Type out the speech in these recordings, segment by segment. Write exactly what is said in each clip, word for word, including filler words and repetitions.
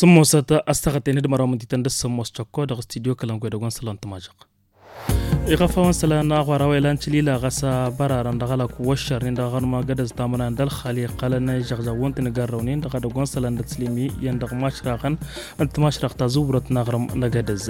Tǝmmosăt a-s tăɣăt enǝdmăr a-wa mǝntităn dăr-s ămoos căkko dăɣ-s tidyo kălăngoy dăgg-wăn sălan tǝmažăɣ. Iɣăfawăn sălan n-aɣwar a-wa ilan tǝlila ɣas a bărarăn dăɣ-alăk wăššărnen dăɣ-aɣrǝm agădăz tamănan d-ălxal iqqălăn ižăɣžăɣ wăn-t n-igărrăwnen dăɣ-edăgg wăn sălan d-ăslimi iyyăn dăɣ-imašraɣăn n-timašraɣt ta zǝwrăt n-aɣrǝm n-agădăz.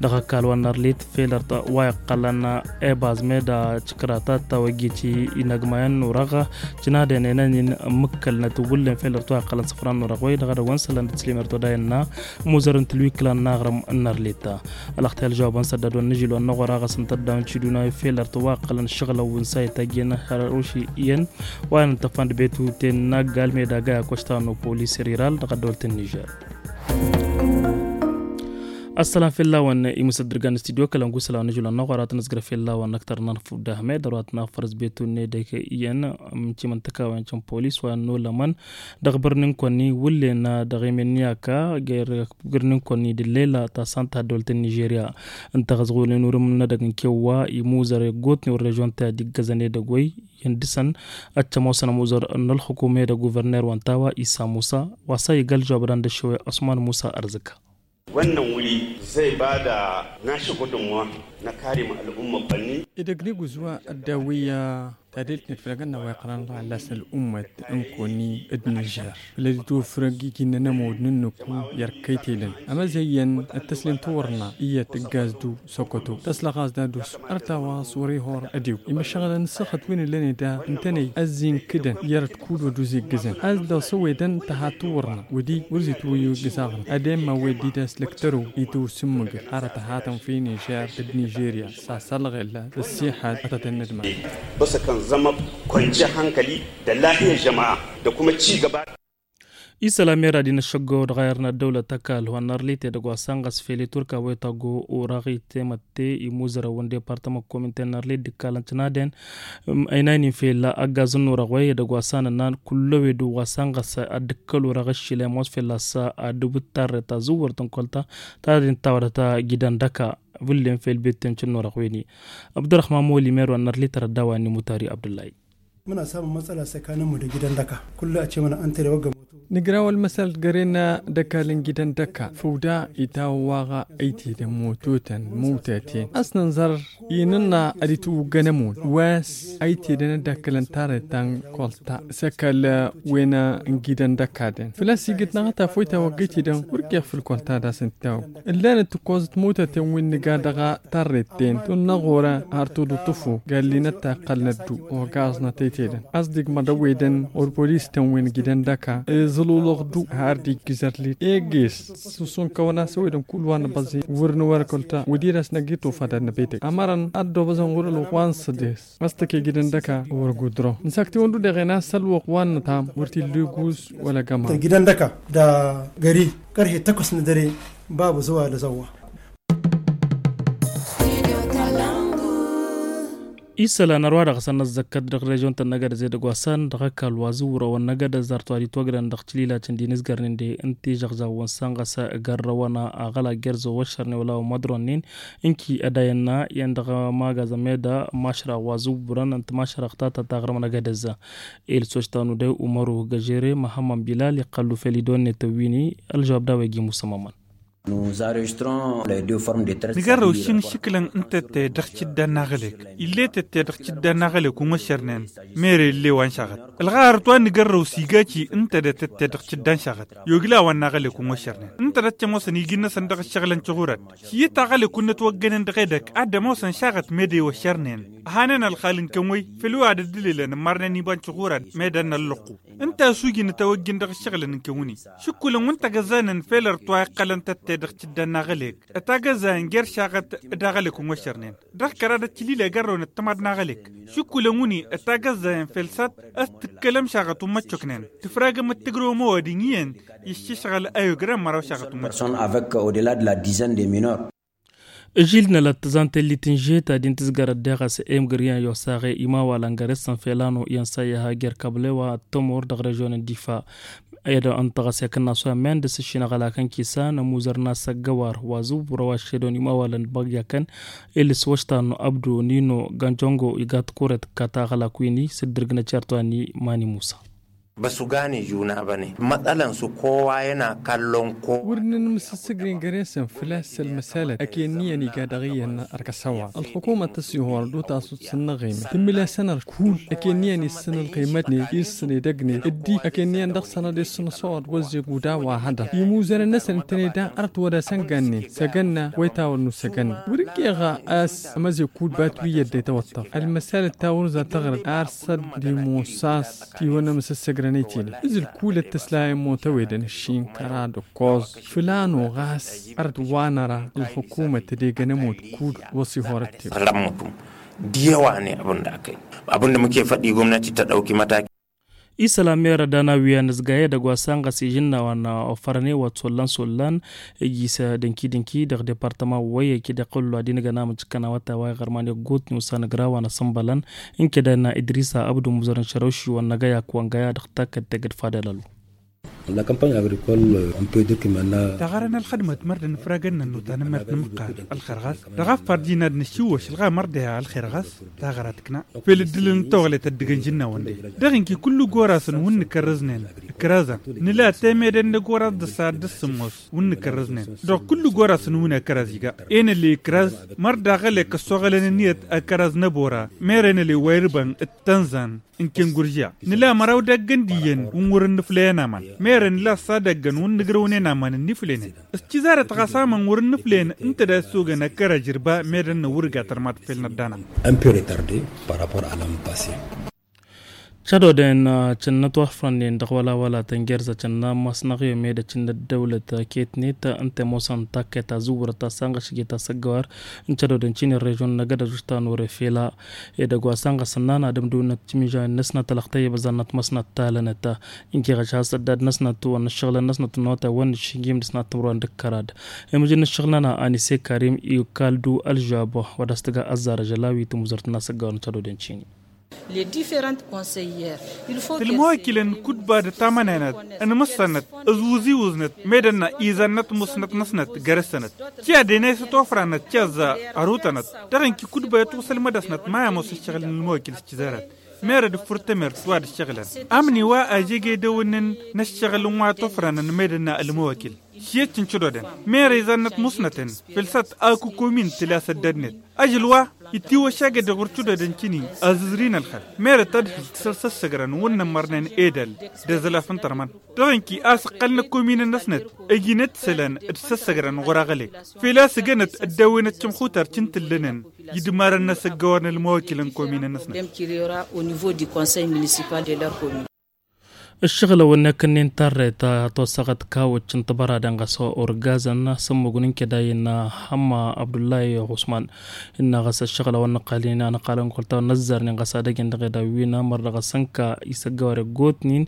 Dăɣ-ăkall wa n-arlit felărt wa iqqălăn ebaz meda tikrata ta wăggi ti inăgmayăn n-urăɣ. Cǝnadăn enăn-in mǝkkălnăt wǝllen felărt wa iqqălăn săfran n-urăɣ wăy dăɣ-edăgg wăn sălan d-ăslim erto da innă muzăr n-tǝlwiklan n-aɣrǝm n-arlit. Ălăxtăy ălžăwab n-săddădon n-ažil wa n-năɣora ɣas n-tăddawn ciduna i-felărt wa ǝqqălăn šăɣlăw n-sayt agi n-hărăwši iyyăn wa n-tăfan d-betuten n-aggal meda gay akošta n-opolis riral dăɣ-ăddolt n-nižer. Ăssălam fell-awăn imǝsăddǝrgan n-studyo kălăngu isălan n-ažil wa n-năɣora tăn-ǝzgǝr fell-awăn ăktăr n-anfud d-ahmed ărwa tăn-afărǝs betun n-edek iyyăn. N-timǝntăkawen n-polis wa n-olămăn dăɣ-bărnin kăwăn-i wǝllen dăɣ-emen n-iyaka. Găr-bărnin kăwăn-i d-lela ta santa ăddolt n-nižerya ǝnta ɣas ɣulin urǝm n-edăgg n-kewwa imuzăr eggotnen wăr režon ta i-ad-iggăzăn edăgg wăy. Iyyăn dăr-săn ad-tămoosăn amuzăr n-ălxukum edăgg guverner wa n-tawa isa musa wa s-a iga ălžăwab d-anda ăššăwe ăsman musa ărzǝka. Wannan wuri zai ba da nashi gudunmawa na kare ma al'umma kwanni. Idăgg n-iguzwa ăddawăyya tadelt n-ădfălăgăn n-a-wa iqqălăn ɣallas n-al'ummat n-koni d-nižer făll-ad-itwăfrăg iginnăn ămud n-ǝnnǝku i-erk kăy-tedăn amăzăyyăn d-tăslem tawărna iyyăt ǝggaz-du săkăto tăslăɣ-as d-ad-us ărtawaẓ wăr-ihor ădiw imăššăɣǝlăn ǝssăxăt wi n-ǝllăn eda ǝntănăy ăzzinkǝdăn i-erăt kull wăr dd-uziggǝzăn a-s dăɣ-s ăwedăn tăha tawărna wădi wăr zi-twăyyu iggǝzaɣăn ad-emma wed-di d-aslăktăru itwǝsǝmmǝgăt arăt tăhatăn fi nižer d-nižerya s-asălɣel d-ăssiḥăd ătătăn n-ădman. Băsăkăn zămăb kwance hankali d-ăllahiya žăma'a d-akuma cigăba. Isălam era din ăššăggo dăɣ-ayăr n-ăddăwlăt ăkall wa n-arlit edăgg wa s-anɣăs fel i-turka wa itaggo oraɣ itemătte imuzărăwăn departămăkkom ǝnta n-arlit d-ikkalăn tǝnaden. Ăynaynen fel ăggaz n-orăɣ wa edăgg wa s-anănnan kull ăwedu wa s-anɣăs ad-dd-ǝkkăl orăɣ ăššilem wa s-fel a-s ad-dd-ǝbǝt tarret ta zǝwwărt n-kolta ta din tawadăt a gidăn dăka. Vǝllen fel betten cǝnn orăɣ wen-i abdurrăhman moli merwa n-arlit ărădda wa n-imutari abdullahi. Muna samun matsala săkanămmu d-gidan dăka. Kull a ce măna ăntăre wăgg ămoto. Nǝgra wăl măsal găren d-ăkall n-gidan dăka făw da itawăwaɣ ăytedăn mototăn măwtăten a-s nǝnzăr inǝnna ad-itwǝggăn ămud wa s-ăytedăn ad-dd-akkălăn tarret ta n-kolta s-ăkall wen n-gidan dăka-dăn făl-a-s igǝt-năɣ a tafoyt a wăgg ăytedăn wăr ikeɣ făll-kolta d-asǝntawăg. Ǝllanăt tǝkkozăt mototăn wi n-nǝga dăɣ-a tarret-ten tun n-aɣora har tuḍǝṭṭǝfu gallinăt ta ǝqqălnăt-du ogaẓnăt ăytedăn a-s dd-igmăḍ ăwedăn orpolis-tăn wi n-gidăn dăka iẓǝlulăɣ-du har dd-iggǝz ărlit eges. Susunkăwăn a-s ăwedăn kull wa n-abăẓi wăr n-wăr kăl-ta wădden a-s năgg-itofa d-ad-năbetăg ămărăn ad-dd-obăẓăn ɣur-ălwăqq wa n-sădes a-s tăke gidăn dăka wăr gudrăw. Nǝsaktiwăn d-udăɣen a-s ălwăqq wa n-nǝtam wăr t-illa igus wăla găma. Gidăn dăka da gări kărhe tăkkus n-dăre. Babu zăwa lăzăwwa. Isălan ărwa dăɣ-săn năzzăkkăt dăɣ-režion-tăn n-agădăz edăgg wa s-an dăɣ-ăkall wa zǝwrăwăn n-agădăz ărtwa d-itwăgrăn dăɣ-tililacăn d-inǝzgărnen de n-tižăɣžaɣ wa n-sănɣăs. Gărrăwăn aɣăla gerzo wăššărnen wăla wa măḍronnen ǝnki ădayăn n-a iyyăn dăɣ-magazăn meda mašraɣ wa zǝwrăn n-timašraɣ ta ta taɣrǝm n-agădăz. Ilsoš tanudăy umăru găžere măhămmăn bilal iqqăllu fel idonnetăn wi-ni. Ălžăwab d-a-wa iji musămmămăn. Nǝgărrăw šin išǝklăn n-tătte dăɣ-cǝddan n-aɣălek. Ill'-e tătte dăɣ-cǝddan n-aɣălek unwăššărnen. Mere ill'-e wa n-šaɣăt ǝlɣa hărăt wa n-nǝgărrăw s-iga ci n-tădăt tătte dăɣ-cǝddan šaɣăt. Yogi la wa n-aɣălek unwăššărnen n-tădăt cămoosăn iji-năsăn dăɣ-ǝššăɣǝlăn căɣurăd. Šiyǝt aɣălek unnăt wăggănen dăɣ-edăgg ad-ămoosăn šaɣăt mede iwăššărnen. Ăhanen ălxal n-kăwwăy făll-wa ad-ăddǝlelăn ǝmmarnen iba n-căɣurăd mede ănnăllăqqu. Ǝnta a-s ujǝn ătawăjjǝn dăɣ-ǝššăɣǝlăn n-kăwwǝni. Šǝkkulăn wa n-tagăzzaynen fel ărtwa iqqălăn tătte dăɣ-cǝddan n-aɣălek ătagăzzayen jer-šaɣăt d-aɣălek n-wăššărnen. Dăɣ-kăra d-ătcǝlil egărrăwăn ăttămad n-aɣălek šǝkkulăn wǝni ătagăzzayen fel saḍt a-s tǝkkălăm šaɣăt ummăccoknen. Tǝfragăm ăttǝgrăwăm ăwadǝm iyyăn. Iššǝšɣăl ayǝgrăn măraw šaɣăt ummăccoknen. Personne avec au-delà de la dizaine de mineurs. Ǝžil n-alăt tǝzan tellit n-žeta din tǝzgărăt deɣ a-s emgăr iyyăn i-osaɣe imawalăn găr-s n-felano iyyăn s-a iha jer-kablewa ăttămur dăɣ-režion n-difa. Ed ǝnta ɣas i-akǝnna s-wa men dăr-s ǝššinăɣăl akăn kisa n-amuzăr n-asăggăwar wa zǝwwărăw aššedăwăn imawalăn d-băgg i-akăn. Ilǝs wăštan n-abdu nino gănjongo iga tikuret kătaɣălak wi-ni s-dd-irgǝnăt jer-twa n-imani musa. Băsugane juna băne mătălăn s-kowa i-ăna kallon ko. Wăr nǝnmǝsǝssǝgnen găre-săn făl-a-s ălmăsalăt ăkenniyăn iga dăɣ-iyyăn ărkăsăwar ălxukumăt tăsihor d-utasut s-ǝnnăɣime tǝmmǝl-asăn ărkul ăkenniyăn issăn ălqimătnen issăn edăgnen ǝddi ăkenniyăn dăɣ-săn ad-issăn ăsor d-wăzzeg uda wa hădăr imuzărăn-năsăn ǝntăneda ărăt wăr-asăn gannen săgănna wa itawăr n-usăgănna wăr-ǝnkeɣ a-s ămăzek kud bat wi i-ăddetăwăttăɣ ălmăsalăt ta wăr-za tăɣrăd ar sădd d-imusas tiwăn amǝsǝssăgrăn i-tine ǝzǝl kulăt tăslayăn motăwedăn ǝššin kăra d-ǝkkoẓ fǝlano ɣas ărăt wa năra ălxukumăt tădegăn ămut kud wăṣ-ihorăt-tew. Diyăwane abǝnda kăy abǝnda mǝkefăt i-gomnati tădăwki mătaki. Isălan merăd ana wi anǝzgay edăgg wa sănɣăs ižǝnna wa n-ofărăn i-wăt sollan-sollan iji s-dănki-dănki dăɣ-departăman wăy eki d-iqqǝllu ad-inǝgăn amǝjǝkkăn awătay wa iɣărman iggutni usanăgra wa n-asǝnbălăn n-keda innă idrisa abdu muzărăn šărăwši wa n-năgăyak wa n-găya dăɣ-takkăt tegăd fadălălu. La kampanya agrikol. Taɣăra n-ălxădmăt mărd ănfragăn n-ănnuta n-emert n-imǝqqan ălxer ɣas dăɣ-affarjin ad-nǝššiwwăš ălɣamăr deha ălxer ɣas taɣăra tǝkna fel ǝddǝlăn n-toɣlet ăddǝgăn žǝnnawăn-de dăɣ-inki kullu gorasăn wǝnn kărrǝznen ǝkrazăn nǝla temedăn n-agoras d-ăssayăt d-ǝssǝmmos wǝnn kărrǝznen dăɣ-kullu gorasăn wǝnn ăkraz iga enăle ǝkraz mărd aɣăle kăssoɣălăn ǝnniyăt ăkraz n-ăbora mer enăle wa irbăn d-tănzan n-kenguržiya nǝla măraw daggăn d-iyyăn wǝnn wăr-ǝnnǝfleyăn aman merăn lassadăggăn wǝnn ǝgrăwnen aman ǝnniflenen s-cizarăt ɣas amăn wăr-ǝnnǝfleyăn ǝnta da issogăn ăkkăra žirba medăn n-awǝrga tărmat fel-năddana. Ănpere tarde par rapport a l'an passe. Cădoden cǝnnăt wa fărănnen dăɣ-wăla wăla tăngerza cǝnna masnăɣ i-omedăt cǝnnăt dăwlăt ketnet ǝnta i-mosăn takkăyt azǝwwărăt ta sănɣăš iget asăggăwar n-cădoden cini režon n-agădăš uštan wăr-efela edăgg wa sănɣăsăn n-anadăm d-unăt cimižan n-asnăt ălăxtăy i-băzannăt măsnăt talănăt. Inkeɣăš has-ăddad n-asnăt wănnă ǝššăɣlăn n-asnăt n-otay wănnă ǝššǝnjim d-asnăt timǝrwan d-kărad. Imǝjǝn n-ǝššăɣlăn-a anise karim i-kaldu ălžab wa d-as-tǝga ăzzarăžăl a-wi tǝmuzărt n-asăggawăn n-cădoden cini. Tǝlmăwăkilăn kudba d-tamănenăt ănmǝssănăt ǝzwǝziwǝznăt med ănna izannăt musnăt-năsnăt găr-ǝssănăt. Tiyaden a isătofranăt tiyăzza ărutănăt dăɣ-inki kudba i-tusălmădăsnăt ma i-ămoos ǝššăɣǝl n-ălmăwăkil s-cizărăt. Merăd ǝffur tămert wa d-ǝššăɣǝlăn amni wa ăžegedăwăn n-ǝššăɣǝl n-wa tofranăn med ănna ălmăwăkil. Šiyăt n-cădoden merăy zannăt musnăten făll-săt akǝkomin tǝla s-ăddădnet. Ažǝl wa ittiwăššagăd i-ɣur-cădoden cini azǝzrin ălxăl merăt ad-hǝl tǝsăl s-ăssăgrăn wǝnnăn mărnen edăl d-azălaf n-tărmăn. Dăɣ-inki a-s ǝqqălnăt kominăn-năsnăt ăjinăt isălan d-săssăgrăn ɣur-aɣălek fel a-s ǝgănăt ăddawăynăt cǝmxutar cǝntǝllănen idmarăn n-asăggăwar n-ălmăwăkilăn kominăn-năsnăt. Ǝššăɣǝlăwăn n-ekănnen tarreta tosăɣăt kawăcc n-tibăraden ɣas orgazăn s-ămmugǝn n-keda innă hămma abdullahi usman. Innă ɣas ǝššăɣǝlăwăn n-ăqqalnen anăqqalăn kăwăl tawăn n-ăzzarnen ɣas ad-ăjăn dăɣ-edawwina mărdăɣ asănka isăggăwăr iggotnen.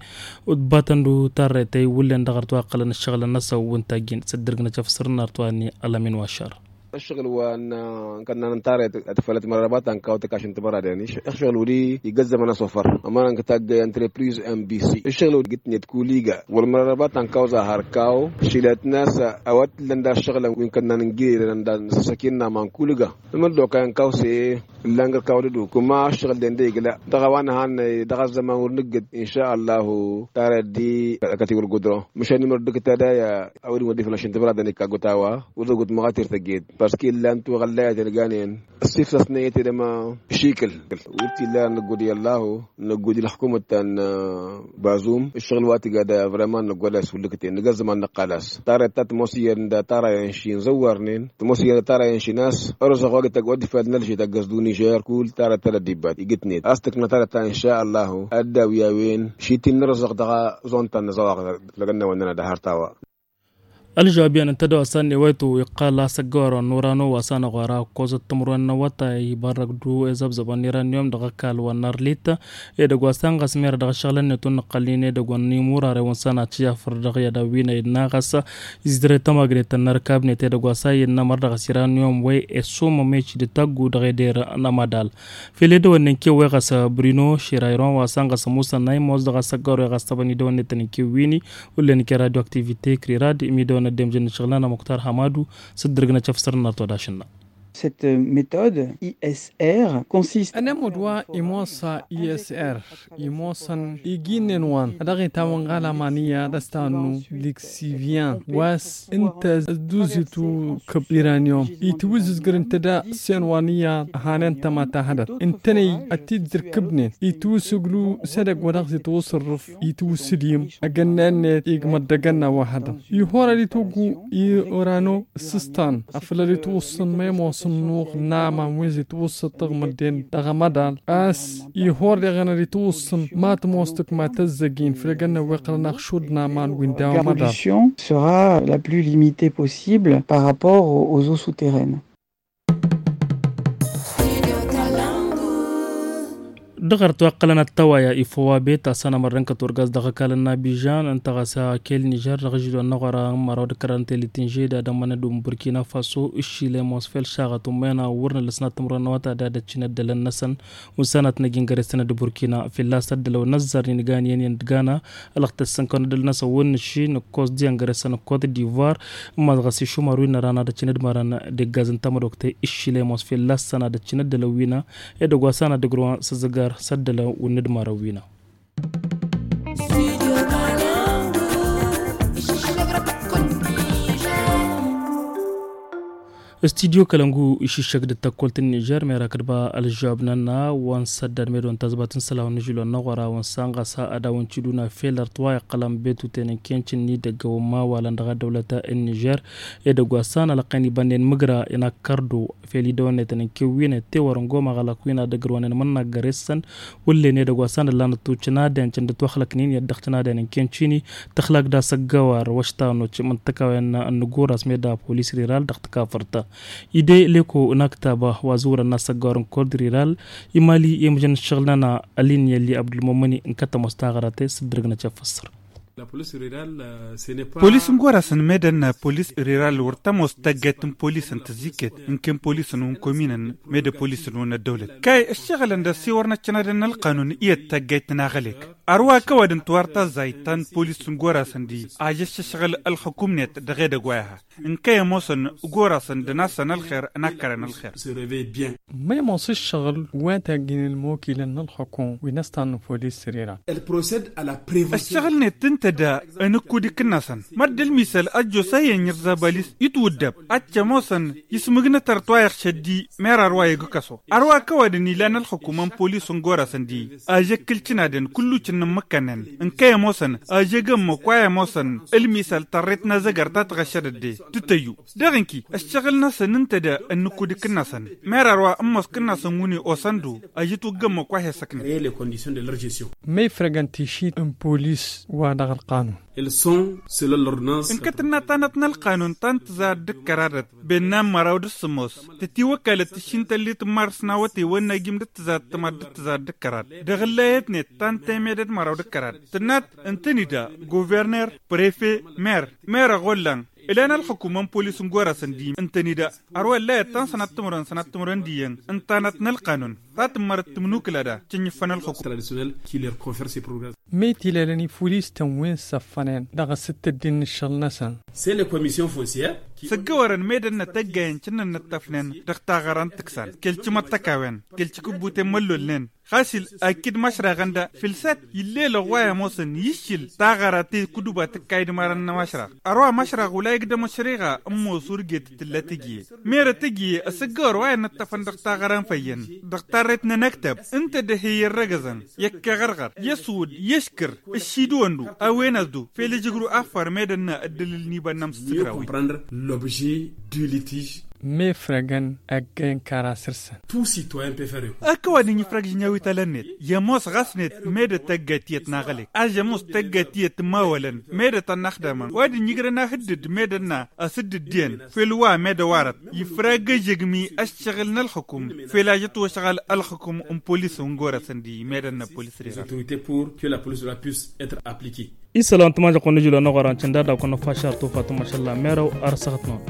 Utbatăn-du tarreta iwǝllen dăɣ-ărtwaqqălăn ǝššăɣǝlăn-năsăn wǝntaggen s-ǝddǝrǝgnăt efsăr n-artwannen alămin wa šăr. Ǝššăɣǝl wa n-kănnan n-tarreta tifălăt mărăbat ankaw takašăn tibăraden ǝššăɣǝl wăr-i igăzzămăn asofăr. Ămăra n-kătaggăy ăntrepriz mbc ǝššăɣǝl wăr-i gǝtnet kuliga wăr-mărăbat ankaw zahar kaw. Šilăt n-a-s a-wa t-ǝllăn da ǝššăɣǝlăn wi n-kănnan n-gire dăɣ-năsăsăken n-aman kuliga. Ǝmăr d-okăy ankaw s-e ǝllan găr-kaw d-ăduk kuma ǝššăɣǝl-den d-e iglă dăɣ-a-wa nǝhannăy dăɣ-ăzzăman wăr nǝggǝd inša ăllahu. Tarreta d-i ăkătiwăr gudro măšan imăr dd-kǝtadăy. A wăr-in wăr dd-iflăn ašăn tibăraden ikka gutawa wăr-dd-ăggut măɣatir tăgget. Parske ǝllan tuɣăllayăt ălganen ăssifsăsnen i-tedăma. Šikǝl wăr t-illa năggud i-ăllahu năggud i-ălxukumăt ta n-bazum. Ǝššăɣǝl wa tǝgga da vrăman năggud a-s hulǝkten nǝgg ăzzăman năqqal a-s tarreta ta tămoos iyyăn d-tarrayăn ši n-zăwwarnen tămoos iyyăn d-tarrayăn ši n-a-s. Ărosăɣ wa gǝtăgg wa dd-ifad n-ălžet ăggăs d-unižer kull tarreta ta d-ăddibbat igǝtnet a-s tǝkna tarreta inša ăllahu. Ad-dd-awǝy a-wen šittin n-ărosăɣ dăɣ-zontan n-azăwaɣ. Lăgănnawăn-nănăɣ d-ahăr tawa. Ălžawab iyyăn n-tadawsa n-ewăytu iqqal a-s ăggăwărăn n-urano wa s-anăɣ wăr-a ăkkoẓăt timǝrwen n-awătay ibarrăk-du i-zăbzăbăn n-iranyum dăɣ-ăkall wa n-arlit. Edăgg wa s-anɣăs merăd dăɣ-ašăɣǝlăn-net wăr nǝqqălnen edăgg wa n-imurarewăn s-anăɣ tijafăr dăɣ-i ad-awǝyna innă ɣas izǝdre tamagnet ta n-arrikabnet edăgg wa s-a innă mărdăɣ s-iranyum wa i-sumăm eci d-taggu dăɣ-eder n-amadal. Fel edăwănnen kew wa i-ɣas brino širayron wa s-anɣăs musănna imoos dăɣ-asăggăwăr wa i-ɣas tăbăn idăwănnen tăn-in-kew wini. Ullen ike radio aktivite krirad imidăwăn ăddemjăn n-ašăɣǝl-nănăɣ muktar hamadu s-dd-ărgnăt efsăr n-arăt wa d-ašǝnna. Cette méthode I S R consiste. Ănămud wa imosa I S R imoosăn iginnen wa dăɣ-itawăn ɣalaman iyyăḍ ăstannu liksivyan wa s-ǝnta ăzduzitu kăb-iranyum itwǝzzǝzgǝr ǝnta da s-enwan iyyăḍ hanen tămata hădăt ǝntănăy ătidǝrkǝbnen itwǝssǝglu s-edăgg wa dăɣ-s itwǝsǝrrǝf itwǝssǝdǝyǝm ăgănna-net igmăḍ d-ăgănna wa hădăt ihorăd itwǝggu irano s-ǝstan afăl ălitwǝssǝn ma imoosăn nuɣ n-aman wi s-itwǝssǝt tăɣmădden dăɣ-amăḍal a-s ihor deɣen ălitwǝssǝn ma tămoos tǝkma tăzzăgin făll-egănna wi ăqqălăn axšud n-aman wi n-daw amăḍal. Sera la plus limitée possible par rapport aux eaux souterraines. Dăɣ-ărăt wa ǝqqălăn ăttăwaya ifăwabet asăn amărrăn kăturgaz dăɣ-ăkall n-abižan ǝnta ɣas akel nižer dăɣ-ažilon n-aɣora n-măraw d-kăran tele tinže d-ad-ămmănăd n-burkina faso ǝššilem wa s-fel šaɣăt ummăyăn a wăr nǝlăsnat timǝrwen n-awăta d-ad-ăccin ăddălăn-năsăn. Wǝnsanăt n-agi n-găresăn d-burkina filla s-ăddălăw n-ăzzar n-inǝgan iyyăn i-ăndǝgana ălăɣtăs săn kăwăn-ăddăl-năsăn wăr nǝšši nǝkkoẓ d-iyyăn găresăn n-kot divoir. Ǝmmas ɣas išumar wi n-ăran ad-ăccin ădmărăn d-eggaz n-tamădokte iššilem wa s-fel lassăn ad-ăccin ăddălăw wi n-edăgg wa s-anăddăgrǝwăn s-ǝzzǝgar s-ăddălăw wi n-ădmărăn wi n-a. Studyo kălăngu išǝššăk d-tăkkolt n-nižer mera kădba ălžăwab n-ănna wa n-săddad medo n-tazbat n-sălawăn n-ažilon n-aɣora wa n-sanɣasa ad-awăn-t-iduna fel ărtwa iqqălăn betuten n-kenci n-idăgg wa n-mawalăn dăɣ-ăddăwlăt n-nižer. Edăgg wa s-anălăqqen ibănnen mǝgra inakkărdo fel idăwănnetăn n-kewwin ettewăr n-goma ɣălăk wi n-ad-ăgrăwăn n-imǝnnaggăr essăn wullen edăgg wa s-anăllan ăttučăn ad-encăn d-ătwăxlăknen i-ad-dăɣ-tăn ad-encăn cini. Tăxlak d-asăggăwar wăštanoc mǝntăkawen n-nǝguras meda polis riral dăɣ-tǝkafărt. Ide leko n-aktaba wa zǝwrăn n-asăggăwar n-kord riral imali i-mǝjăn ǝššăɣǝl-nănăɣ ălin i-ălli abdulmumăni n-kătămoos taɣărate s-ǝddǝrǝgnăt i-afăssăr. Polis n-gorasăn medăn polis riral wăr tămoos taggayt n-polisăn tǝzziket ǝnken polisăn wa n-kominăn. Medă polisăn wa n-ăddăwlăt kay ǝššăɣǝlăn d-ăssiwăr n-ăccănadăn n-ălqanun iyyăt taggayt n-aɣălek. Ărwa kăwadǝn tiwar tazzayt ta n-polis n-gorasăn di ajăššăšɣǝl ălxukum-net dăɣ-edăgg wa iha ǝnkăy ămoosăn gorasăn d-nasăn ălxer n-akkărăn ălxer. Ma imoos ǝššăɣǝl wa tagin ălmokilăn n-ălxukum wi n-ăstan n-polis săr-iran. Ăššăɣǝl-net ǝnta da ănǝkkud ikǝnnasăn mădd ălmisăl ăjjoos a iyyăn irzabalis itwǝddăb ad-t-ămoosăn ismǝgnăt ărtwa iɣšăd-di. Mera ărwa igǝkăso ărwa kăwadǝn ilan ălxukum n-polis n-gorasăn di ažăk kǝlcǝnadăn kullucǝn n-imǝkkănnen ǝnkăy ămoosăn ažăk ămmăk wa i-ămoosăn ălmisăl tărret n-azăgăr ta tɣăššădăt de tǝtăyyu. Dăɣ-inki ăššăɣǝl-năsăn ǝnta da ănnǝkkud ikǝnnasăn mera ărwa ămmoos kǝnnasăn wǝnne osăn-dd ajǝtwǝgg ămmăk wa he-săknăt. Ma ifrăgăn tišit n-polis wa dăɣ-ălqanun. Ǝnkăt ǝnna tanăt n-ălqanun ta n-tǝzad d-ǝkkăradăt bennan măraw d-ǝssǝmos tătiwăkkalăt tišin tăllit n-mars n-awătay wa n-agim d-ǝttǝzad tămad d-ǝttǝzad d-ǝkkărad dăɣ-ǝllayăt-net ta n-temedăd măraw d-ǝkkărad tǝnnat ǝntănida guverner prefe mer. Mer ăɣollan ǝlan ălxukum n-polis n-gorasăn d-i ǝntănida ărwa ǝllayăt ta n-sănat timǝrwen sănat timǝrwen d-iyyăn ǝntanăt n-ălqanun ta tǝmmărăt tǝmnukǝla da cǝnnǝffăn ălxukum. Măy tilelăn ifulis-tăn wi n-săffănen dăɣ-asǝttǝd n-iššăl-năsăn. Săggăwărăn medănna tăggayen cǝnnăn n-ǝṭṭăfnen dăɣ-taɣăra n-tǝksan kăl-cimăṭṭăkawen kăl-cikǝbbuten măllolnen. Ɣas-il akid mašraɣăn da fǝlsat ill'-elăɣ wa i-ămoosăn iššǝl taɣăra ti kuduba tǝkka idmarăn n-amašraɣ. Ărwa amašraɣ wăla igdăm ăšriɣa ămoos urget tǝlla tǝjǝye merăt tǝjǝye ăsăggăwăr wa i-ănnăṭṭăfăn dăɣ-taɣăra n-făyyăn dăɣ-tarret n-anăktăb ǝnta dd-he-i ărrăgăzăn i-ăkkăɣărɣăr i-ăswǝd i-ăškǝr ǝššidǝwăn-du a-wen-as-du fel ǝjǝgru affăr med ănna ăddălǝl n-ibănnăm s-tǝgrawin. Mefrăgăn ăggay n-kara săr-săn. Ak ăwadǝm ifrăg žǝnyaw italăn-net i-ămoos ɣas-net med ătăgga tiyyăt n-aɣălek a žămoos tăgga tiyyăt n-imawălăn med ătănnaxdamăn wa dăr-ijrăn ahǝddǝd med ănna asǝddǝd diyyăn fel wa med ăwarăt ifrag ăžžăgmi ăššăɣǝl n-ălxukum fel a žăt wăšɣal ălxukum n-polis n-gorăsăn di med ănna polis rerăn. Isălan tǝmajăɣ-kăwăn n-ažǝl wa n-aɣora n-cănda daw-kăwăn năfašar tufat n-mašalla merăw ar săɣăt-năwăn.